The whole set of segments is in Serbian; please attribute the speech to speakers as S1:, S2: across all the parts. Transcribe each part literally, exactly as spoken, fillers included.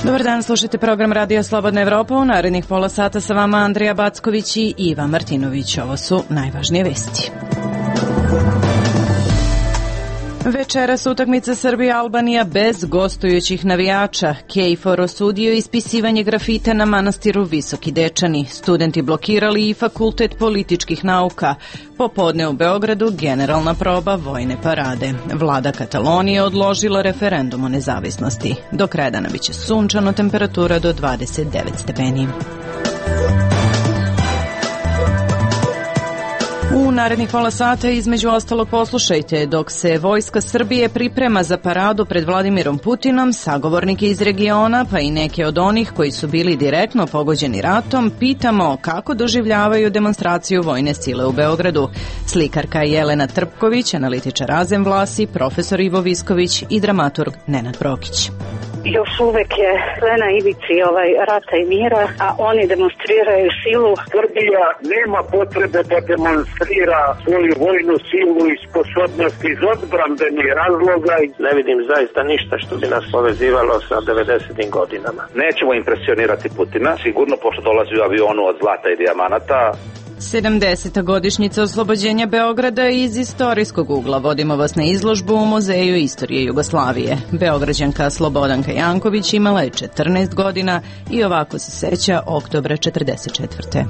S1: Dobar dan, slušajte program Radio Slobodna Evropa. U narednih pola sata sa vama Andrija Backović i Iva Martinović. Ovo su najvažnije vesti. Večeras utakmica Srbija-Albanija bez gostujućih navijača. KFOR osudio ispisivanje grafita na manastiru Visoki Dečani. Studenti blokirali i Fakultet političkih nauka. Popodne u Beogradu generalna proba vojne parade. Vlada Katalonije odložila referendum o nezavisnosti. Do kraja dana biće sunčano, temperatura do dvadeset devet stepeni. U narednih pola sata između ostalog poslušajte, dok se Vojska Srbije priprema za paradu pred Vladimirom Putinom, sagovornike iz regiona, pa i neke od onih koji su bili direktno pogođeni ratom, pitamo kako doživljavaju demonstraciju vojne sile u Beogradu. Slikarka Jelena Trpković, analitičar Azem Vlasi, profesor Ivo Visković i dramaturg Nenad Prokić.
S2: Još uvek je sve na ivici ovaj rata i mira, a oni demonstriraju silu.
S3: Srbija nema potrebe da demonstrira svoju vojnu silu i sposobnost iz odbrambenih razloga.
S4: Ne vidim zaista ništa što bi nas povezivalo sa devedesetim godinama.
S5: Nećemo impresionirati Putina, sigurno, pošto dolazi u avionu od zlata i dijamanata.
S1: sedamdeseta godišnjica oslobođenja Beograda iz istorijskog ugla. Vodimo vas na izložbu u Muzeju istorije Jugoslavije. Beograđanka Slobodanka Janković imala je četrnaest godina i ovako se seća oktobra četrdeset četvrte.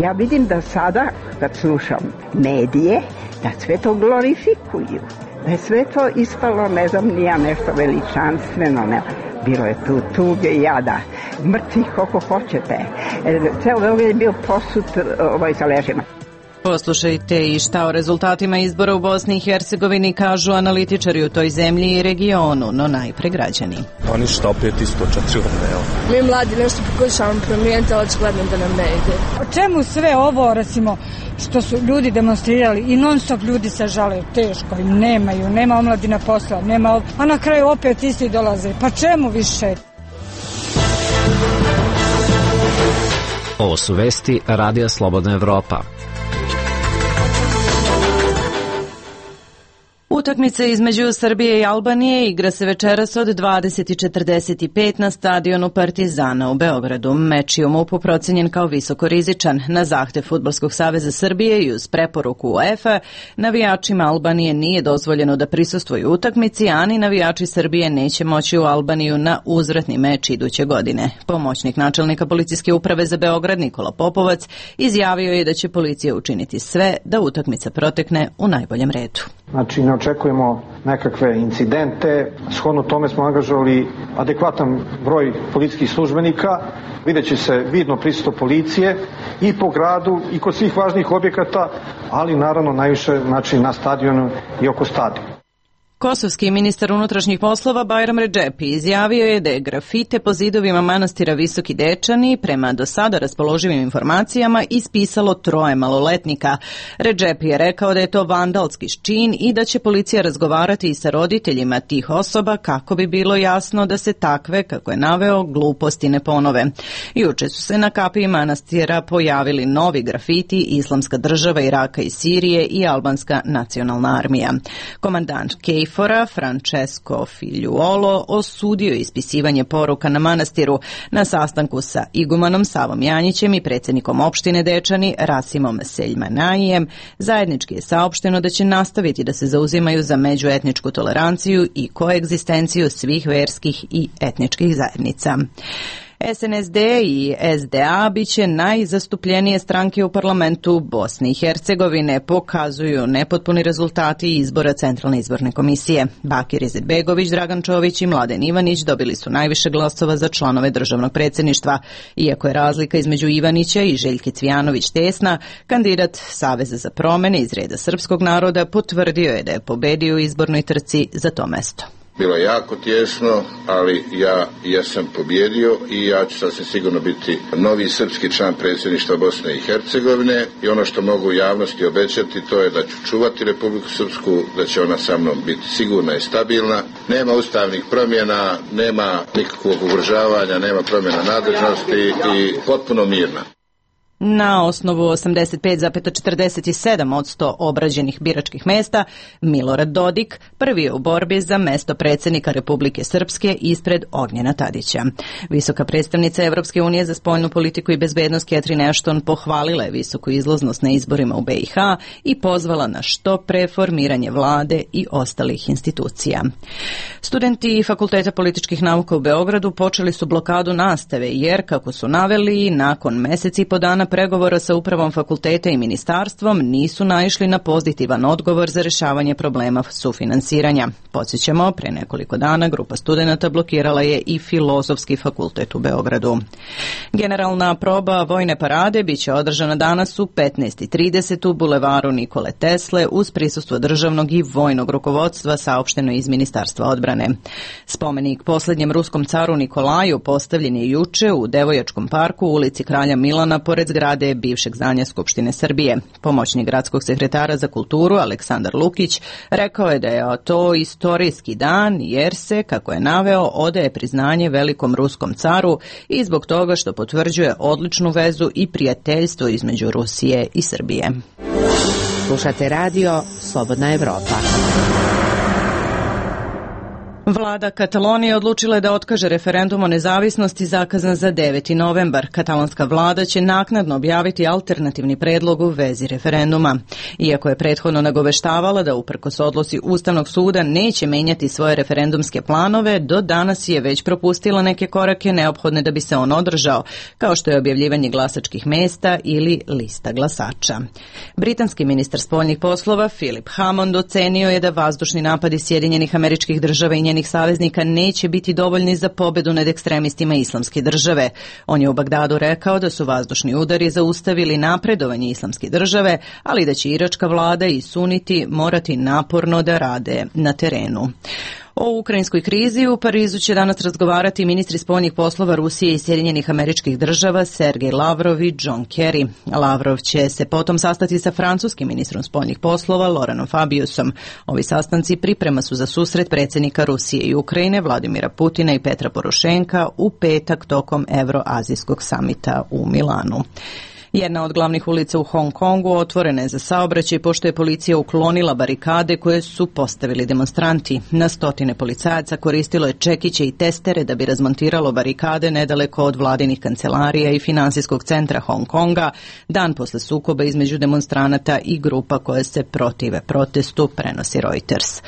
S6: Ja vidim da sada, kad slušam medije, da sve to glorifikuju. Da je sve to ispalo, ne znam, nija nešto veličanstveno, ne. Bilo je tu tuge i jada, mrtvih koliko hoćete. Ceo Beograd je bio posut ovaj, sa ležima.
S1: Poslušajte i šta o rezultatima izbora u Bosni i Hercegovini kažu analitičari u toj zemlji i regionu, no najpre građani.
S7: Oni što opet isto četiri godine.
S8: Mi mladi nešto pokušavamo promijeniti, ali očigledno da nam ne ide.
S9: O čemu sve ovo, recimo, što su ljudi demonstrirali i non stop ljudi se žale, teško im nemaju, nema omladina posla, nema, a na kraju opet isti dolaze. Pa čemu više?
S10: Ovo su vesti Radija Slobodna Evropa.
S1: Utakmica između Srbije i Albanije igra se večeras od dvadeset i četrdeset pet na stadionu Partizana u Beogradu. Meč je u MUP-u procenjen kao visoko rizičan. Na zahtev Fudbalskog saveza Srbije i uz preporuku UEFA, navijačima Albanije nije dozvoljeno da prisustvuju utakmici, a ni navijači Srbije neće moći u Albaniju na uzvratni meč iduće godine. Pomoćnik načelnika policijske uprave za Beograd Nikola Popovac izjavio je da će policija učiniti sve da utakmica protekne u najboljem redu.
S11: Znači, ne očekujemo nekakve incidente. Shodno tome smo angažovali adekvatan broj policijskih službenika. Videće se vidno prisustvo policije i po gradu i kod svih važnih objekata, ali naravno najviše znači, na stadionu i oko stadiona.
S1: Kosovski ministar unutrašnjih poslova Bajram Redžepi izjavio je da je grafite po zidovima manastira Visoki Dečani prema do sada raspoloživim informacijama ispisalo troje maloletnika. Redžepi je rekao da je to vandalski čin i da će policija razgovarati i sa roditeljima tih osoba kako bi bilo jasno da se takve, kako je naveo, gluposti ne ponove. Juče su se na kapiji manastira pojavili novi grafiti Islamska država Iraka i Sirije i Albanska nacionalna armija. Komandant Kej Fora Francesco Figliuolo osudio ispisivanje poruka na manastiru na sastanku sa igumanom Savom Janjićem i predsjednikom opštine Dečani Rasimom Seljmanajijem. Zajednički je saopšteno da će nastaviti da se zauzimaju za međuetničku toleranciju i koegzistenciju svih verskih i etničkih zajednica. S N S D i S D A biće najzastupljenije stranke u parlamentu Bosne i Hercegovine, pokazuju nepotpuni rezultati izbora Centralne izborne komisije. Bakir Izetbegović, Dragan Čović i Mladen Ivanić dobili su najviše glasova za članove državnog predsjedništva. Iako je razlika između Ivanića i Željke Cvijanović tesna, kandidat Saveza za promene iz reda srpskog naroda potvrdio je da je pobedio u izbornoj trci za to mesto.
S12: Bilo je jako tjesno, ali ja jesam pobjedio i ja ću sasvim sigurno biti novi srpski član predsjedništva Bosne i Hercegovine i ono što mogu javnosti obećati to je da ću čuvati Republiku Srpsku, da će ona sa mnom biti sigurna i stabilna. Nema ustavnih promjena, nema nikakvog ugrožavanja, nema promjena nadležnosti i potpuno mirna.
S1: Na osnovu osamdeset pet zarez četrdeset sedam posto obrađenih biračkih mesta, Milorad Dodik prvi je u borbi za mesto predsjednika Republike Srpske ispred Ognjena Tadića. Visoka predstavnica Evropske unije za spoljnu politiku i bezbednost Catherine Ashton pohvalila je visoku izlaznost na izborima u B i H i pozvala na što pre formiranje vlade i ostalih institucija. Studenti Fakulteta političkih nauka u Beogradu počeli su blokadu nastave jer, kako su naveli, nakon meseci i po dana pregovora sa upravom fakulteta i ministarstvom nisu naišli na pozitivan odgovor za rešavanje problema sufinansiranja. Podsjećamo, pre nekoliko dana grupa studenata blokirala je i Filozofski fakultet u Beogradu. Generalna proba vojne parade biće održana danas u petnaest i trideset u bulevaru Nikole Tesle uz prisustvo državnog i vojnog rukovodstva, saopšteno iz Ministarstva odbrane. Spomenik poslednjem ruskom caru Nikolaju postavljen je juče u Devojačkom parku u ulici Kralja Milana pored zgrade bivšeg zdanja Skupštine Srbije. Pomoćnik gradskog sekretara za kulturu Aleksandar Lukić rekao je da je to istorijski dan jer se, kako je naveo, odaje priznanje velikom ruskom caru i zbog toga što potvrđuje odličnu vezu i prijateljstvo između Rusije i Srbije.
S13: Slušate radio Slobodna Evropa.
S1: Vlada Katalonije odlučila je da otkaže referendum o nezavisnosti zakazan za deveti novembar. Katalonska vlada će naknadno objaviti alternativni predlog u vezi referenduma. Iako je prethodno nagoveštavala da uprkos odluci Ustavnog suda neće menjati svoje referendumske planove, do danas je već propustila neke korake neophodne da bi se on održao, kao što je objavljivanje glasačkih mesta ili lista glasača. Britanski ministar spoljnih poslova Philip Hammond ocenio je da vazdušni napadi Sjedinjenih Američkih Država i njenih saveznika neće biti dovoljni za pobedu nad ekstremistima Islamske države. On je u Bagdadu rekao da su vazdušni udari zaustavili napredovanje Islamske države, ali da će iračka vlada i suniti morati naporno da rade na terenu. O ukrajinskoj krizi u Parizu će danas razgovarati ministri spoljnih poslova Rusije i Sjedinjenih Američkih Država Sergej Lavrov i John Kerry. Lavrov će se potom sastati sa francuskim ministrom spoljnih poslova Laurentom Fabiusom. Ovi sastanci priprema su za susret predsjednika Rusije i Ukrajine Vladimira Putina i Petra Porošenka u petak tokom Evroazijskog samita u Milanu. Jedna od glavnih ulica u Hong Kongu otvorena je za saobraćaj pošto je policija uklonila barikade koje su postavili demonstranti. Na stotine policajaca koristilo je čekiće i testere da bi razmontiralo barikade nedaleko od vladinih kancelarija i finansijskog centra Hong Konga, dan posle sukoba između demonstranata i grupa koje se protive protestu, prenosi Reuters.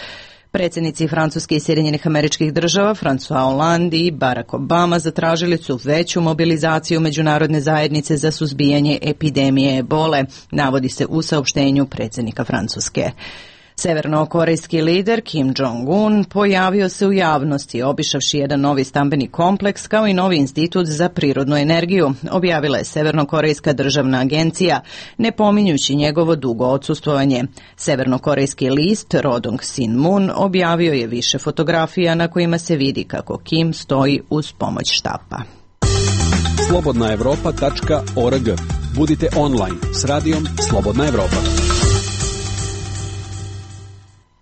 S1: Predsjednici Francuske i Sjedinjenih Američkih Država François Hollande i Barack Obama zatražili su veću mobilizaciju međunarodne zajednice za suzbijanje epidemije ebole, navodi se u saopštenju predsjednika Francuske. Severnokorejski lider Kim Jong-un pojavio se u javnosti obišavši jedan novi stambeni kompleks kao i novi institut za prirodnu energiju, objavila je Severnokorejska državna agencija, ne pominjući njegovo dugo odsustvovanje. Severnokorejski list Rodong Sinmun objavio je više fotografija na kojima se vidi kako Kim stoji uz pomoć štapa.
S14: slobodna evropa tačka org. Budite online s radijom Slobodna Evropa.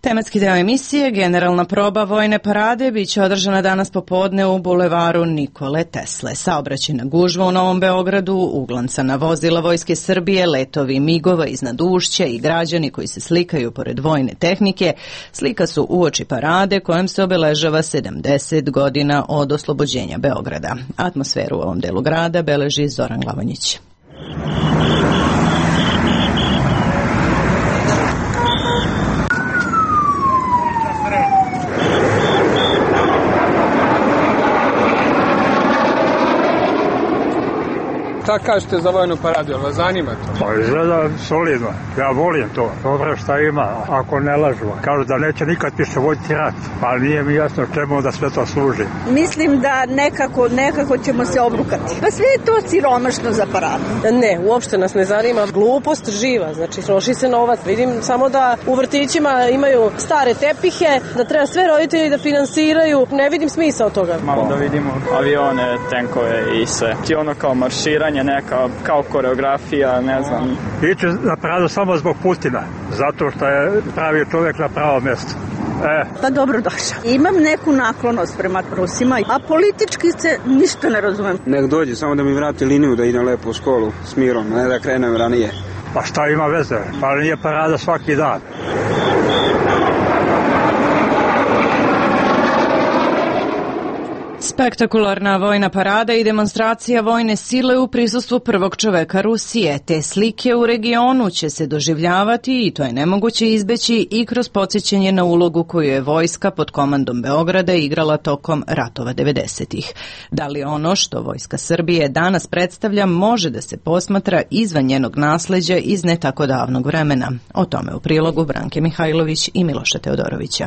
S1: Tematski deo emisije, generalna proba vojne parade, biće održana danas popodne u bulevaru Nikole Tesle. Saobraćajna gužva u Novom Beogradu, uglancana vozila Vojske Srbije, letovi migova iznad ušća i građani koji se slikaju pored vojne tehnike, slika su uoči parade kojom se obeležava sedamdeset godina od oslobođenja Beograda. Atmosferu u ovom delu grada beleži Zoran Glavanjić.
S15: Šta kažete za vojnu paradu, jel vas zanima to?
S16: Pa izgleda solidno, ja volim to, dobro šta ima, ako ne lažu. Kažu da neće nikad više voditi rat, pa nije mi jasno čemu da sve to služi.
S17: Mislim da nekako, nekako ćemo se obrukati. Pa sve je to siromašno za paradu.
S18: Ne, uopšte nas ne zanima, glupost živa, znači troši se novac. Vidim samo da u vrtićima imaju stare tepihe, da treba sve roditelji da finansiraju, ne vidim smisao toga.
S19: Malo da vidimo avione, tenkove i sve. Ti ono kao marširanje, neka kao koreografija, ne znam.
S16: Iće na paradu samo zbog Putina, zato što je pravi čovjek na pravo mjesto. E.
S17: Pa dobro došao. Imam neku naklonost prema Rusima, a politički se ništa ne razumem.
S20: Nek dođe, samo da mi vrati liniju da idem lepo u školu s mirom, ne da krenem ranije.
S16: Pa šta ima veze? Pa nije parada svaki dan.
S1: Spektakularna vojna parada i demonstracija vojne sile u prisustvu prvog čoveka Rusije. Te slike u regionu će se doživljavati i to je nemoguće izbeći i kroz podsjećanje na ulogu koju je vojska pod komandom Beograda igrala tokom ratova devedesetih. Da li ono što Vojska Srbije danas predstavlja može da se posmatra izvan njenog nasleđa iz ne tako davnog vremena? O tome u prilogu Branke Mihajlović i Miloša Teodorovića.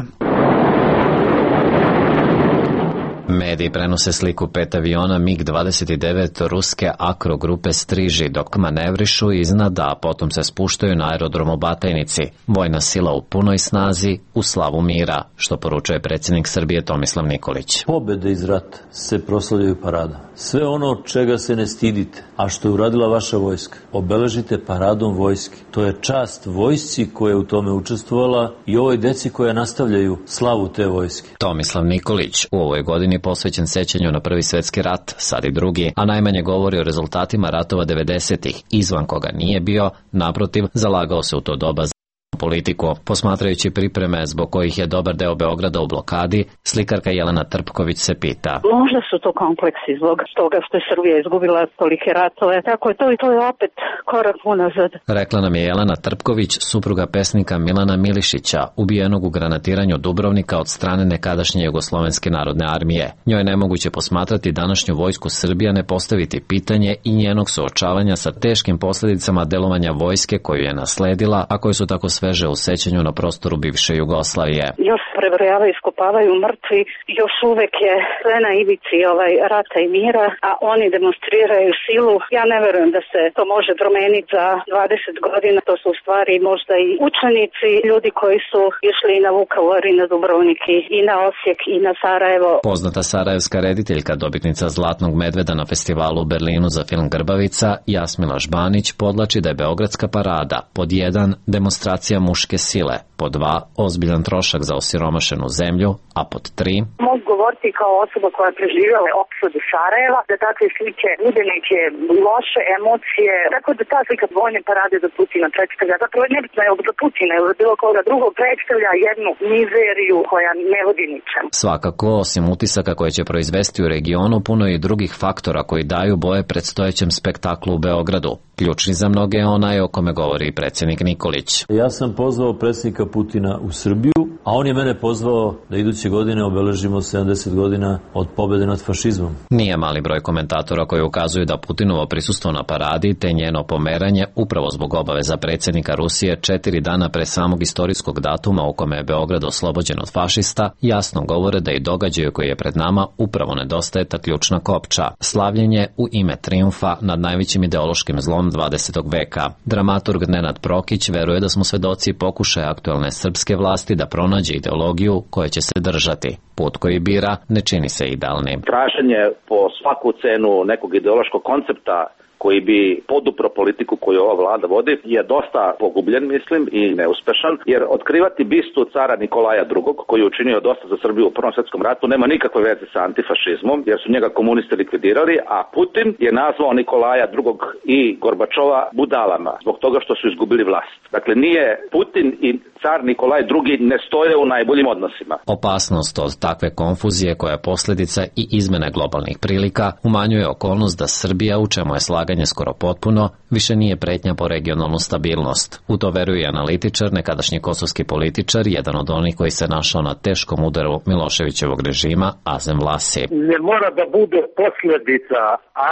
S10: Mediji prenose sliku pet aviona MiG dvadeset devet ruske Akro grupe Striži dok manevrišu iznad, a potom se spuštaju na aerodromu Batajnici. Vojna sila u punoj snazi, u slavu mira, što poručuje predsjednik Srbije Tomislav Nikolić.
S21: Pobede iz rata se proslavljaju paradom. Sve ono čega se ne stidite, a što je uradila vaša vojska, obeležite paradom vojske. To je čast vojsci koja je u tome učestvovala i ovoj deci koja nastavljaju slavu te vojske.
S10: Tomislav Nikolić u ovoj godini posvećen sećanju na Prvi svjetski rat, sad i drugi, a najmanje govori o rezultatima ratova devedesetih, izvan koga nije bio, naprotiv, zalagao se u to doba za politiku. Posmatrajući pripreme zbog kojih je dobar deo Beograda u blokadi, slikarka Jelena Trpković se pita.
S2: Možda su to kompleksi zbog toga što je Srbija izgubila tolike ratove, tako je to i to je opet korak unazad.
S10: Rekla nam je Jelena Trpković, supruga pesnika Milana Milišića, ubijenog u granatiranju Dubrovnika od strane nekadašnje Jugoslovenske narodne armije. Njoj je nemoguće posmatrati današnju vojsku Srbije, ne postaviti pitanje i njenog suočavanja sa teškim posljedicama delovanja vojske koju je nasledila, a koje su tako sveže u sećanju na prostoru bivše Jugoslavije.
S2: Još prebrojavaju, iskopavaju mrtvi, još uvek je sve na ivici ovaj rata i mira, a oni demonstriraju silu. Ja ne verujem da se to može promeniti za dvadeset godina. To su u stvari možda i učenici, ljudi koji su išli i na Vukovar i na Dubrovnik i na Osijek i na Sarajevo.
S10: Poznata sarajevska rediteljka, dobitnica Zlatnog medveda na festivalu u Berlinu za film Grbavica, Jasmila Žbanić, podlači da je Beogradska parada pod jedan demonstracija muške sile, pod dva ozbiljan trošak za osiromašenu zemlju, a pod tri
S22: mogu govoriti kao osoba koja je preživjela opsadu Sarajeva, da takve slike bude neke loše emocije, tako da ta slika vojne parade za Putina predstavlja, zapravo nebitno je za Putina ili za bilo koga drugog, predstavlja jednu mizeriju koja ne vodi ničem.
S10: Svakako, osim utisaka koje će proizvesti u regionu, puno je i drugih faktora koji daju boje predstojećem spektaklu u Beogradu. Ključni za mnoge je onaj o kome govori i predsjednik Nikolić.
S21: Ja sam pozvao predsjednika Putina u Srbiju, a on je mene pozvao da iduće godine obeležimo sedamdeset godina od pobjede nad fašizmom.
S10: Nije mali broj komentatora koji ukazuju da Putinovo prisustvo na paradi te njeno pomeranje upravo zbog obaveza predsjednika Rusije četiri dana pre samog istorijskog datuma u kome je Beograd oslobođen od fašista jasno govore da i događaju koji je pred nama upravo nedostaje ta ključna kopča, slavljenje u ime trijumfa nad najvećim ideološkim zlom dvadesetog veka. Dramaturg Nenad Prokić veruje da smo svedoci pokušaja aktualne srpske vlasti da pronađe ideologiju koja će se držati. Put koji bira ne čini se idealnim.
S5: Traženje po svaku cenu nekog ideološkog koncepta koji bi podupro politiku koju ova vlada vodi je dosta pogubljen, mislim, i neuspešan, jer otkrivati bistu cara Nikolaja drugog, koji je učinio dosta za Srbiju u Prvom svjetskom ratu, nema nikakve veze sa antifašizmom, jer su njega komunisti likvidirali, a Putin je nazvao Nikolaja drugog i Gorbačova budalama, zbog toga što su izgubili vlast. Dakle, nije Putin i car Nikolaj drugi ne stoje u najboljim odnosima.
S10: Opasnost od takve konfuzije koja je posljedica i izmene globalnih prilika umanjuje okolnost da Srbija, u čemu je slaganje skoro potpuno, više nije pretnja po regionalnu stabilnost. U to veruje analitičar, nekadašnji kosovski političar, jedan od onih koji se našao na teškom udaru Miloševićevog režima, Azem Vlasi.
S3: Ne mora da bude posljedica,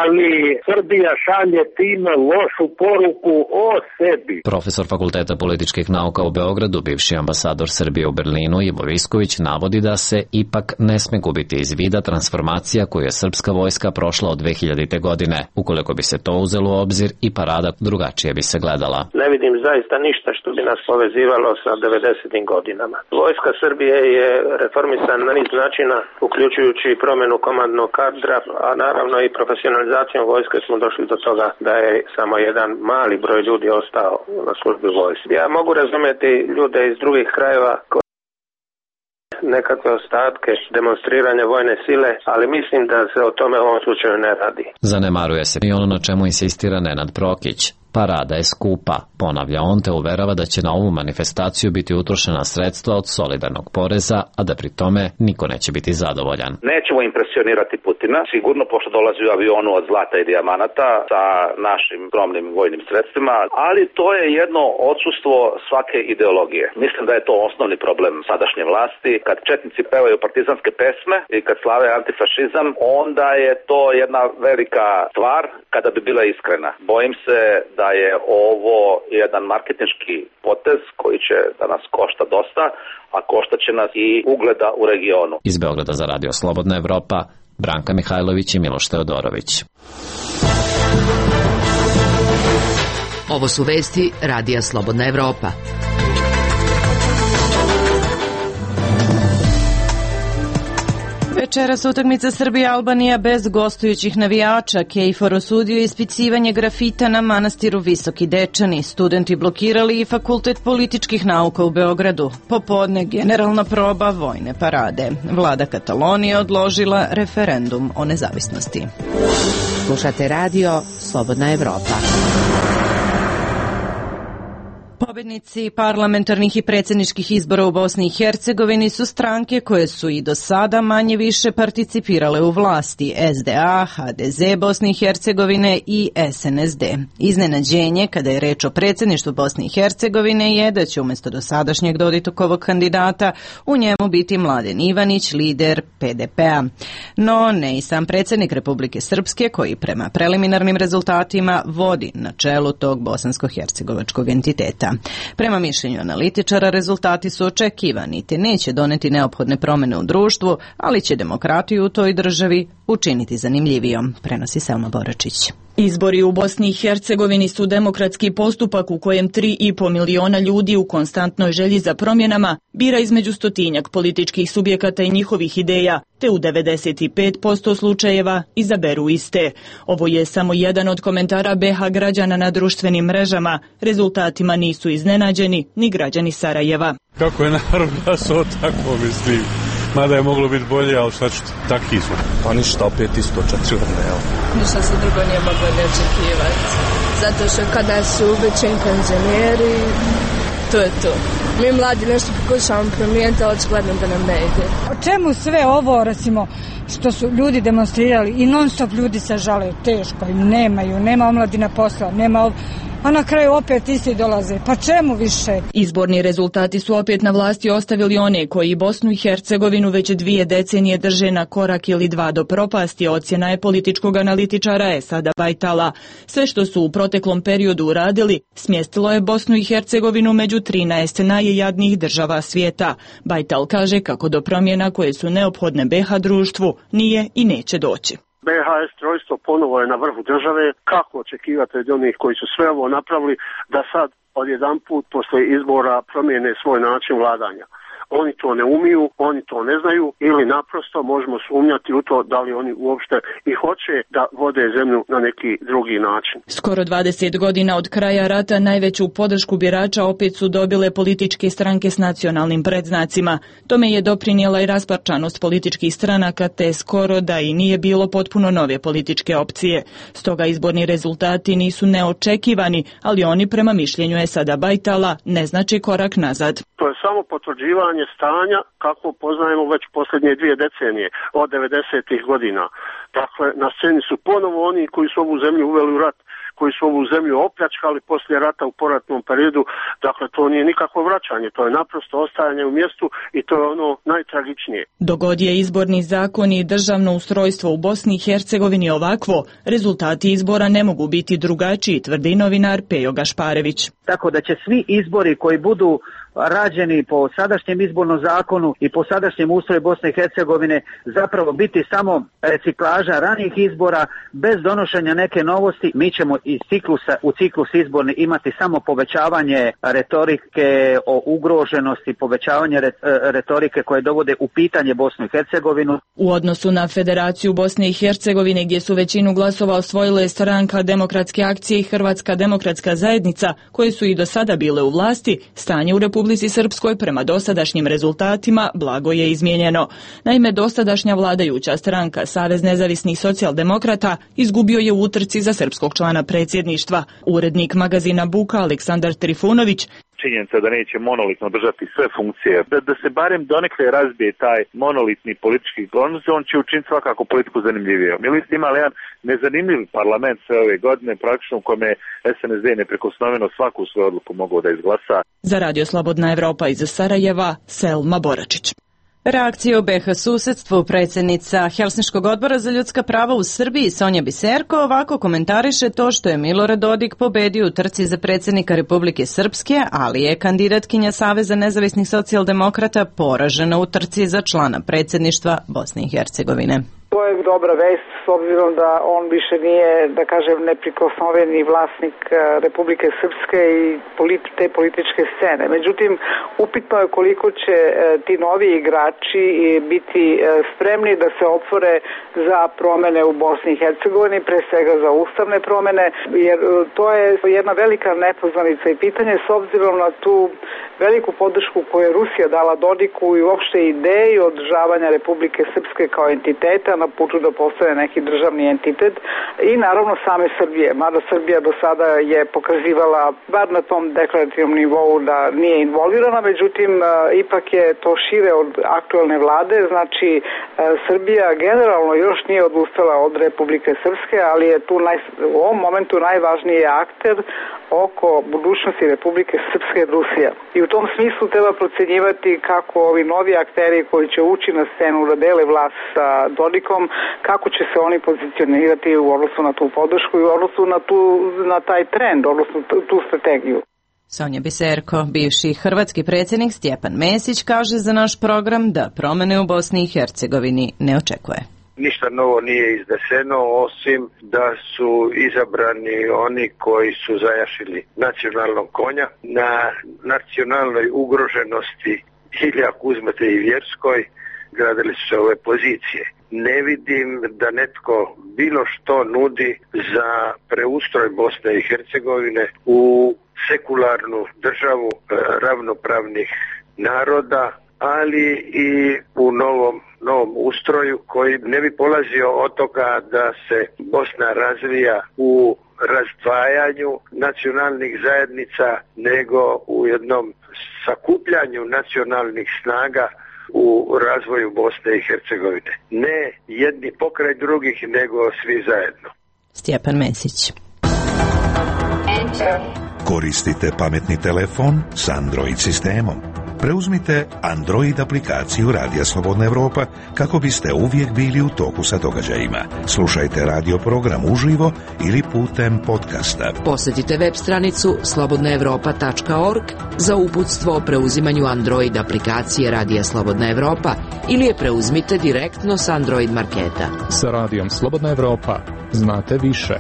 S3: ali Srbija šalje time lošu poruku o sebi.
S10: Profesor Fakulteta političkih nauka u Beogradu, bivši ambasador Srbije u Berlinu, Ivo Visković, navodi da se ipak ne sme gubiti iz vida transformacija koju je srpska vojska prošla od dve hiljadite godine. Ukoliko bi se to uzelo u obzir, i parada drugačije bi se gledala.
S4: Ne vidim zaista ništa što bi nas povezivalo sa devedesetim godinama. Vojska Srbije je reformisana na niz načina, uključujući promjenu komandnog kadra, a naravno i profesionalizacijom vojske smo došli do toga da je samo jedan mali broj ljudi ostao na službi vojske. Ja mogu razumjeti ljude iz drugih krajeva nekakve ostatke demonstriranja vojne sile, ali mislim da se o tome u ovom slučaju ne radi.
S10: Zanemaruje se i ono na čemu insistira Nenad Prokić. Parada je skupa, ponavlja on, te uverava da će na ovu manifestaciju biti utrošena sredstva od solidarnog poreza, a da pri tome niko neće biti zadovoljan.
S5: Nećemo impresionirati Putina, sigurno pošto dolazi u avionu od zlata i dijamanata sa našim skromnim vojnim sredstvima, ali to je jedno odsustvo svake ideologije. Mislim da je to osnovni problem sadašnje vlasti. Kad četnici pevaju partizanske pesme i kad slave antifašizam, onda je to jedna velika stvar kada bi bila iskrena. Bojim se da je ovo jedan marketinški potez koji će da nas košta dosta, a košta će nas i ugleda u regionu.
S10: Iz Beograda za Radio Slobodna Evropa, Branka Mihajlović i Miloš Teodorović.
S13: Ovo su vesti Radija Slobodna Evropa.
S1: Večeras utakmica Srbija-Albanija bez gostujućih navijača. KFOR osudio ispicivanje grafita na manastiru Visoki Dečani. Studenti blokirali i Fakultet političkih nauka u Beogradu. Popodne generalna proba vojne parade. Vlada Katalonije odložila referendum o nezavisnosti.
S13: Slušate radio Slobodna Evropa.
S1: Pobednici parlamentarnih i predsjedničkih izbora u Bosni i Hercegovini su stranke koje su i do sada manje više participirale u vlasti: S D A, H D Z Bosne i Hercegovine i S N S D. Iznenađenje kada je reč o predsjedništvu Bosne i Hercegovine je da će umjesto dosadašnjeg Dodikovog kandidata u njemu biti Mladen Ivanić, lider P D P-a. No ne i sam predsjednik Republike Srpske, koji prema preliminarnim rezultatima vodi na čelu tog bosansko-hercegovačkog entiteta. Prema mišljenju analitičara, rezultati su očekivani te neće doneti neophodne promjene u društvu, ali će demokratiju u toj državi učiniti zanimljivijom, prenosi Selma Boračić.
S6: Izbori u Bosni i Hercegovini su demokratski postupak u kojem tri i po miliona ljudi u konstantnoj želji za promjenama bira između stotinjak političkih subjekata i njihovih ideja, te u devedeset pet posto slučajeva izaberu iste. Ovo je samo jedan od komentara B H građana na društvenim mrežama. Rezultatima nisu iznenađeni ni građani Sarajeva.
S7: Kako je narod glasao, tako mislim. Mada je moglo biti bolje, ali šta ćete, takvi smo. Pa ništa, opet isto četvrne, evo.
S8: Ništa se drugo nije moglo ne očekivati. Zato što kada su ubećeni penzioneri, to je to. Mi mladi nešto pokušavamo promijeniti, ali očigledno da nam ne ide.
S9: O čemu sve ovo, recimo, što su ljudi demonstrirali i non stop ljudi se žale, teško im nemaju, nema omladina posla, nema, a na kraju opet isti dolaze. Pa čemu više?
S6: Izborni rezultati su opet na vlasti ostavili one koji Bosnu i Hercegovinu već dvije decenije drže na korak ili dva do propasti, ocjena je političkog analitičara Esada Bajtala. Sve što su u proteklom periodu uradili, smjestilo je Bosnu i Hercegovinu među trinaest najjadnijih država svijeta. Bajtal kaže kako do promjena koje su neophodne B H društvu nije i neće doći.
S3: B H S trojstvo ponovo je na vrhu države. Kako očekivati od onih koji su sve ovo napravili da sad odjedanput posle izbora promijene svoj način vladanja? Oni to ne umiju, oni to ne znaju ili naprosto možemo sumnjati u to da li oni uopšte i hoće da vode zemlju na neki drugi način.
S6: Skoro dvadeset godina od kraja rata najveću podršku birača opet su dobile političke stranke s nacionalnim predznacima. Tome je doprinijela i rasparčanost političkih stranaka, te skoro da i nije bilo potpuno nove političke opcije. Stoga izborni rezultati nisu neočekivani, ali oni prema mišljenju Esada Bajtala ne znači korak nazad.
S3: To je samo potvrđivanje stanja kako poznajemo već posljednje dvije decenije od devedesetih godina. Dakle, na sceni su ponovo oni koji su ovu zemlju uveli u rat, koji su ovu zemlju opljačkali poslije rata u poratnom periodu. Dakle, to nije nikakvo vraćanje, to je naprosto ostajanje u mjestu i to je ono najtragičnije.
S6: Dogod je izborni zakon i državno ustrojstvo u Bosni i Hercegovini ovakvo, rezultati izbora ne mogu biti drugačiji, tvrdi novinar Pejo Gašparević.
S23: Tako da će svi izbori koji budu rađeni po sadašnjem izbornom zakonu i po sadašnjem ustroju Bosne i Hercegovine zapravo biti samo reciklaža ranijih izbora bez donošenja neke novosti. Mi ćemo iz ciklusa u ciklus izborni imati samo povećavanje retorike o ugroženosti, povećavanje retorike koje dovode u pitanje Bosnu i Hercegovinu.
S6: U odnosu na Federaciju Bosne i Hercegovine, gdje su većinu glasova osvojile stranka Demokratske akcije i Hrvatska demokratska zajednica, koje su i do sada bile u vlasti, stanje u Republike Republici Srpskoj prema dosadašnjim rezultatima blago je izmijenjeno. Naime, dosadašnja vladajuća stranka Savez nezavisnih socijaldemokrata izgubio je u utrci za srpskog člana predsjedništva. Urednik magazina Buka Aleksandar Trifunović
S11: činjenica da neće monolitno držati sve funkcije, da, da se barem donekle razbije taj monolitni politički konus, on će učiniti svakako politiku zanimljivijom. Mi ste imali jedan nezanimljiv parlament sve ove godine, praktično u kome je es en es de neprikosnoveno svaku svoju odluku mogao da izglasa.
S6: Za Radio Slobodna Evropa iz Sarajeva, Selma Boračić.
S1: Reakcija u be ha susedstvu predsjednica Helsinškog odbora za ljudska prava u Srbiji Sonja Biserko ovako komentariše to što je Milorad Dodik pobedio u trci za predsjednika Republike Srpske, ali je kandidatkinja Saveza nezavisnih socijaldemokrata poražena u trci za člana predsjedništva Bosne i Hercegovine.
S12: To je dobra vest s obzirom da on više nije, da kažem, neprikosnoveni vlasnik Republike Srpske i te političke scene. Međutim, upitno je koliko će ti novi igrači biti spremni da se otvore za promene u Bosni i Hercegovini, pre svega za ustavne promene, jer to je jedna velika nepoznanica i pitanje s obzirom na tu veliku podršku koju je Rusija dala Dodiku i uopšte ideji održavanja Republike Srpske kao entiteta na putu da postane neki državni entitet i naravno same Srbije. Mada Srbija do sada je pokazivala, bar na tom deklarativnom nivou, da nije involvirana, međutim ipak je to šire od aktuelne vlade, znači Srbija generalno još nije odustala od Republike Srpske, ali je tu naj, u ovom momentu najvažniji akter oko budućnosti Republike Srpske Rusija. I u tom smislu treba procenjivati kako ovi novi akteri koji će ući na scenu da dele vlast sa Dodikom, kako će se oni pozicionirati u odnosu na tu podršku i u odnosu na, tu, na taj trend, odnosno tu strategiju.
S1: Sonja Biserko, bivši hrvatski predsjednik Stjepan Mesić, kaže za naš program da promene u Bosni i Hercegovini ne očekuje.
S14: Ništa novo nije izneseno, osim da su izabrani oni koji su zajašili nacionalnog konja. Na nacionalnoj ugroženosti, ili ako uzmete i vjerskoj, gradili su se ove pozicije. Ne vidim da netko bilo što nudi za preustroj Bosne i Hercegovine u sekularnu državu ravnopravnih naroda, ali i u novom, novom ustroju koji ne bi polazio od toga da se Bosna razvija u razdvajanju nacionalnih zajednica, nego u jednom sakupljanju nacionalnih snaga u razvoju Bosne i Hercegovine. Ne jedni pokraj drugih, nego svi zajedno.
S1: Stjepan Mesić.
S24: Koristite pametni telefon s Android sistemom. Preuzmite Android aplikaciju Radija Slobodna Evropa kako biste uvijek bili u toku sa događajima. Slušajte radio program uživo ili putem podcasta.
S13: Posjetite web stranicu slobodna evropa tačka org za uputstvo o preuzimanju Android aplikacije Radija Slobodna Evropa ili je preuzmite direktno s Android marketa.
S25: Sa Radijom Slobodna Evropa znate više.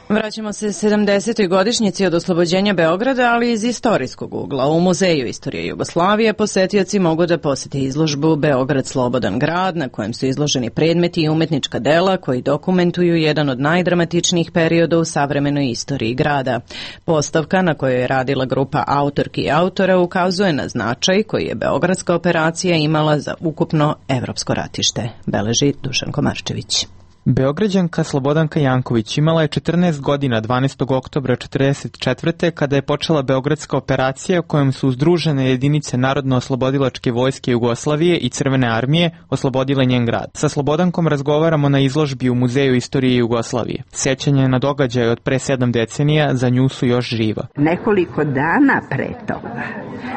S1: Vraćamo se sedamdesetoj godišnjici od oslobođenja Beograda, ali iz istorijskog ugla. U Muzeju istorije Jugoslavije posetioci mogu da posete izložbu Beograd slobodan grad, na kojem su izloženi predmeti i umetnička dela koji dokumentuju jedan od najdramatičnijih perioda u savremenoj istoriji grada. Postavka na kojoj je radila grupa autorki i autora ukazuje na značaj koji je beogradska operacija imala za ukupno evropsko ratište, beleži Dušan Komarčević.
S26: Beograđanka Slobodanka Janković imala je četrnaest godina dvanaestog oktobra četrdeset četvrte kada je počela Beogradska operacija kojom su uzdružene jedinice Narodno-oslobodilačke vojske Jugoslavije i Crvene armije oslobodile njen grad. Sa Slobodankom razgovaramo na izložbi u Muzeju istorije Jugoslavije. Sjećanje na događaje od pre sedam decenija za nju su još živa.
S27: Nekoliko dana pre toga,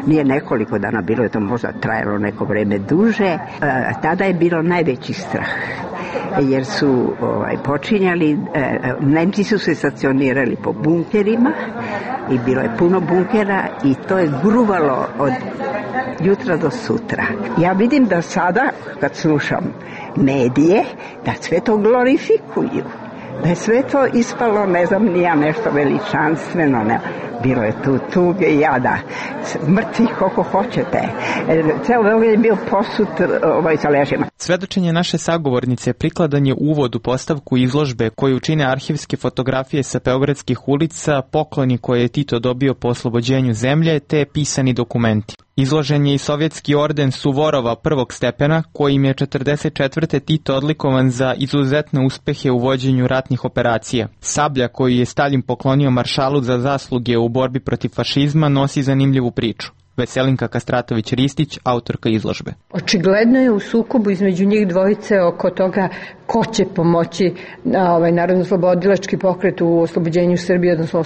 S27: nije nekoliko dana, bilo je to možda trajalo neko vreme duže, tada je bilo najveći strah. Jer su ovaj, počinjali, e, Nemci su se stacionirali po bunkerima i bilo je puno bunkera i to je gruvalo od jutra do sutra. Ja vidim da sada, kad slušam medije, da sve to glorifikuju. Da je sve to ispalo, ne znam, nija nešto veličanstveno, ne. bilo je tu tuge i jada, mrtvih koliko hoćete. Ceo Beograd je bio posut ovaj, sa ležima.
S26: Svedočenje naše sagovornice prikladan je uvod u postavku izložbe koju čine arhivske fotografije sa beogradskih ulica, pokloni koje je Tito dobio po oslobođenju zemlje, te pisani dokumenti. Izložen je i sovjetski orden Suvorova prvog stepena, kojim je četrdeset četvrte Tito odlikovan za izuzetne uspehe u vođenju ratnih operacija. Sablja koju je Stalin poklonio maršalu za zasluge u borbi protiv fašizma nosi zanimljivu priču. Veselinka Kastratović-Ristić, autorka izložbe.
S2: Očigledno je u sukobu između njih dvojice oko toga ko će pomoći na ovaj narodno-oslobodilački pokret u oslobođenju Srbije, odnosno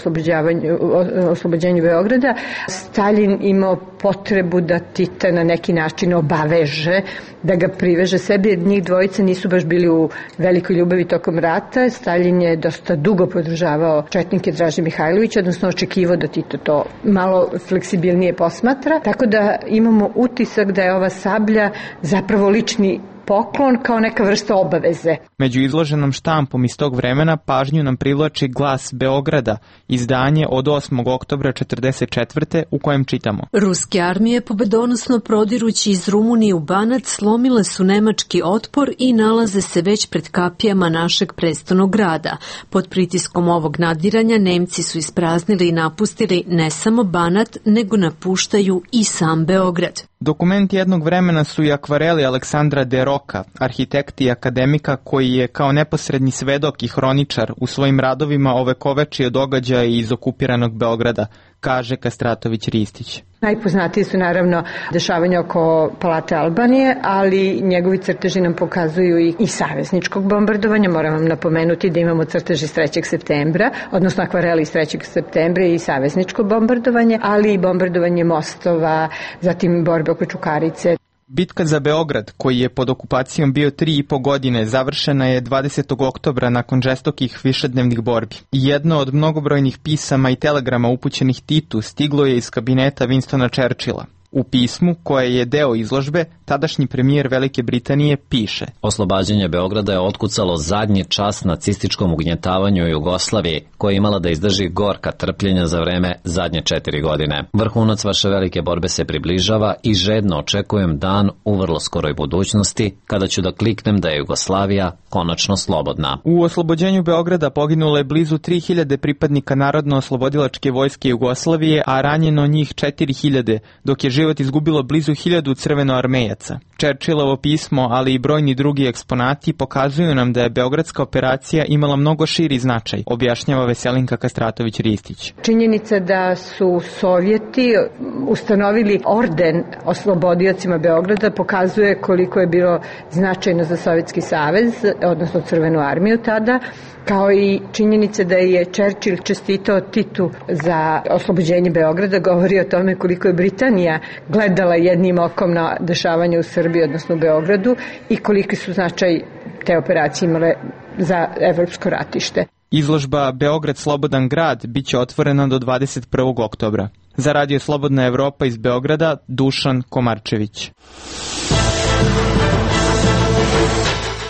S2: oslobođenju Beograda. Stalin imao potrebu da Tita na neki način obaveže, da ga priveže sebi, jer njih dvojice nisu baš bili u velikoj ljubavi tokom rata. Stalin je dosta dugo podržavao četnike Draže Mihajlovića, odnosno očekivao da Tito to malo fleksibilnije posmatra. Tako da imamo utisak da je ova sablja zapravo lični poklon kao neka vrsta obaveze.
S26: Među izloženom štampom iz tog vremena pažnju nam privlači Glas Beograda, izdanje od osmog oktobra četrdeset četvrte u kojem čitamo.
S15: Ruske armije pobedonosno prodirući iz Rumunije u Banac slomile su nemački otpor i nalaze se već pred kapijama našeg prestolnog grada. Pod pritiskom ovog nadiranja Nemci su ispraznili i napustili ne samo Banat, nego napuštaju i sam Beograd.
S26: Dokumenti jednog vremena su i akvareli Aleksandra de Roka, arhitekta i akademika koji je kao neposredni svedok i hroničar u svojim radovima ovekovečio događaje iz okupiranog Beograda, kaže Kastratović-Ristić.
S2: Najpoznatiji su naravno dešavanja oko Palate Albanije, ali njegovi crteži nam pokazuju i, i savezničkog bombardovanja. Moram vam napomenuti da imamo crteži iz trećeg septembra, odnosno akvareli iz trećeg septembra i savezničko bombardovanje, ali i bombardovanje mostova, zatim borbe oko Čukarice.
S26: Bitka za Beograd, koji je pod okupacijom bio tri i po godine, završena je dvadesetog oktobra nakon žestokih višednevnih borbi. Jedno od mnogobrojnih pisama i telegrama upućenih Titu stiglo je iz kabineta Winstona Churchilla. U pismu, koje je deo izložbe, tadašnji premijer Velike Britanije piše:
S10: Oslobađanje Beograda je otkucalo zadnji čas nacističkom ugnjetavanju Jugoslavije, koja je imala da izdrži gorka trpljenja za vreme zadnje četiri godine. Vrhunac vaše velike borbe se približava i žedno očekujem dan u vrlo skoroj budućnosti, kada ću da kliknem da je Jugoslavija konačno slobodna.
S26: U oslobođenju Beograda poginulo je blizu tri hiljade pripadnika Narodno-oslobodilačke vojske Jugoslavije, a ranjeno njih četiri hiljade, dok je život izgubilo blizu hiljadu crvenoarmejaca. Churchillovo pismo, ali i brojni drugi eksponati pokazuju nam da je beogradska operacija imala mnogo širi značaj, objašnjava Veselinka Kastratović-Ristić.
S2: Činjenica da su Sovjeti ustanovili orden oslobodiocima Beograda pokazuje koliko je bilo značajno za Sovjetski savez, odnosno Crvenu armiju tada, kao i činjenica da je Churchill čestitao Titu za oslobođenje Beograda, govori o tome koliko je Britanija gledala jednim okom na dešavanje u Srbiji, odnosno u Beogradu, i koliki su značaj te operacije imale za evropsko ratište.
S26: Izložba Beograd slobodan grad biće otvorena do dvadeset prvog oktobra. Za Radio Slobodna Evropa iz Beograda, Dušan Komarčević.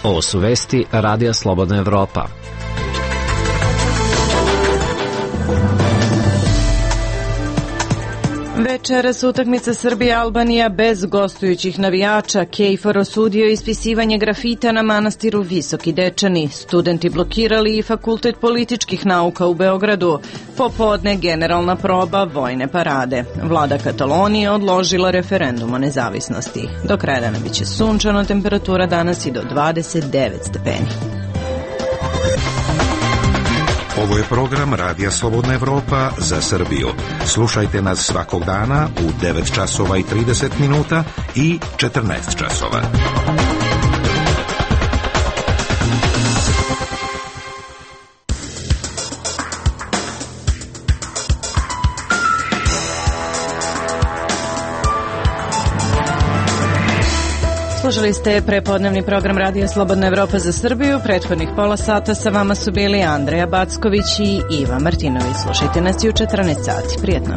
S10: Ovo su vesti Radija Slobodna Evropa.
S1: Večeras utakmica Srbija-Albanija bez gostujućih navijača. Kejfor osudio ispisivanje grafita na manastiru Visoki Dečani. Studenti blokirali i Fakultet političkih nauka u Beogradu. Popodne generalna proba vojne parade. Vlada Katalonije odložila referendum o nezavisnosti. Do kraja dana biće sunčano, temperatura danas i do dvadeset devet stepeni.
S24: Ovo je program Radija Slobodna Evropa za Srbiju. Slušajte nas svakog dana u devet časova i trideset minuta i četrnaest časova.
S1: Slušali ste prepodnevni program Radija Slobodna Evropa za Srbiju. Prethodnih pola sata sa vama su bili Andreja Backović i Iva Martinović. Slušajte nas i u četrnaest sati. Prijetno.